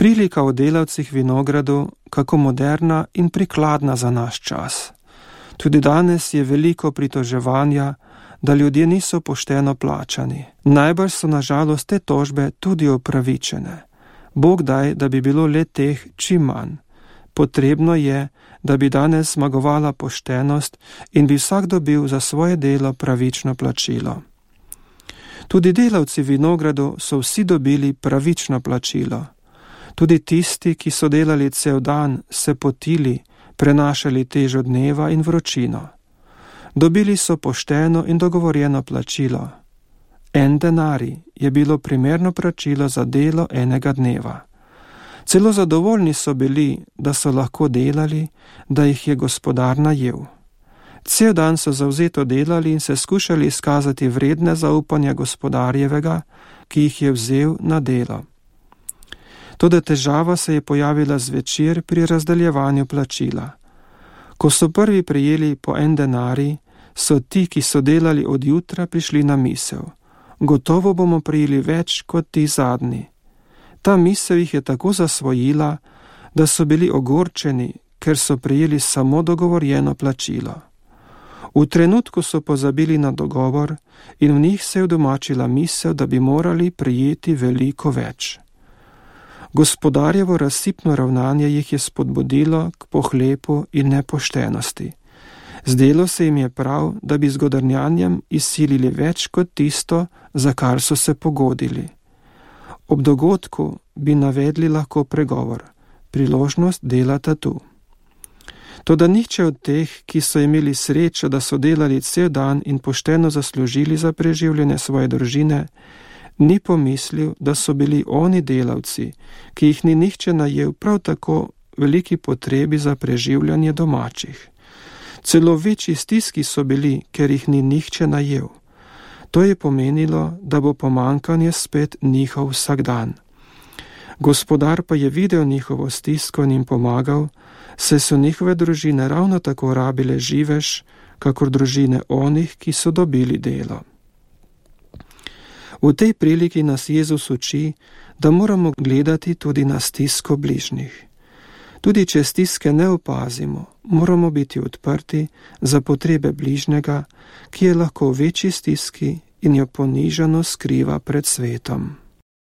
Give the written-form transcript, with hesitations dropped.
Prilika o delavcih vinogradu, kako moderna in prikladna za naš čas. Tudi danes je veliko pritoževanja, da ljudje niso pošteno plačani. Najbrž so na žalost te tožbe tudi upravičene. Bog daj, da bi bilo le teh čim manj. Potrebno je, da bi danes zmagovala poštenost in bi vsak dobil za svoje delo pravično plačilo. Tudi delavci v vinogradu so vsi dobili pravično plačilo. Tudi tisti, ki so delali cel dan, se potili, prenašali težo dneva in vročino. Dobili so pošteno in dogovorjeno plačilo. 1 denarij je bilo primerno plačilo za delo enega dneva. Celo zadovoljni so bili, da so lahko delali, da jih je gospodar najel. Cel dan so zavzeto delali in se skušali izkazati vredne zaupanja gospodarjevega, ki jih je vzel na delo. Toda težava se je pojavila zvečer pri razdeljevanju plačila. Ko so prvi prejeli po 1 denarij, so ti, ki so delali od jutra, prišli na misel. Gotovo bomo prejeli več kot ti zadnji. Ta misel jih je tako zasvojila, da so bili ogorčeni, ker so prejeli samo dogovorjeno plačilo. V trenutku so pozabili na dogovor in v njih se je udomačila misel, da bi morali prejeti veliko več. Gospodarjevo razsipno ravnanje jih je spodbudilo k pohlepu in nepoštenosti. Zdelo se jim je prav, da bi z godrnjanjem izsilili več kot tisto, za kar so se pogodili. Ob dogodku bi navedli lahko pregovor: priložnost delata tu. Toda nihče od teh, ki so imeli srečo, da so delali cel dan in pošteno zaslužili za preživljanje svoje družine, ni pomislil, da so bili oni delavci, ki jih ni nihče najel, prav tako veliki potrebi za preživljanje domačih. Celo večji stiski so bili, ker jih ni nihče najel. To je pomenilo, da bo pomankanje spet njihov vsakdan. Gospodar pa je videl njihovo stisko in jim pomagal, saj so njihove družine ravno tako rabile živež, kakor družine onih, ki so dobili delo. V tej priliki nas Jezus uči, da moramo gledati tudi na stisko bližnjih. Tudi če stiske ne opazimo, moramo biti odprti za potrebe bližnjega, ki je lahko v večji stiski in jo ponižano skriva pred svetom.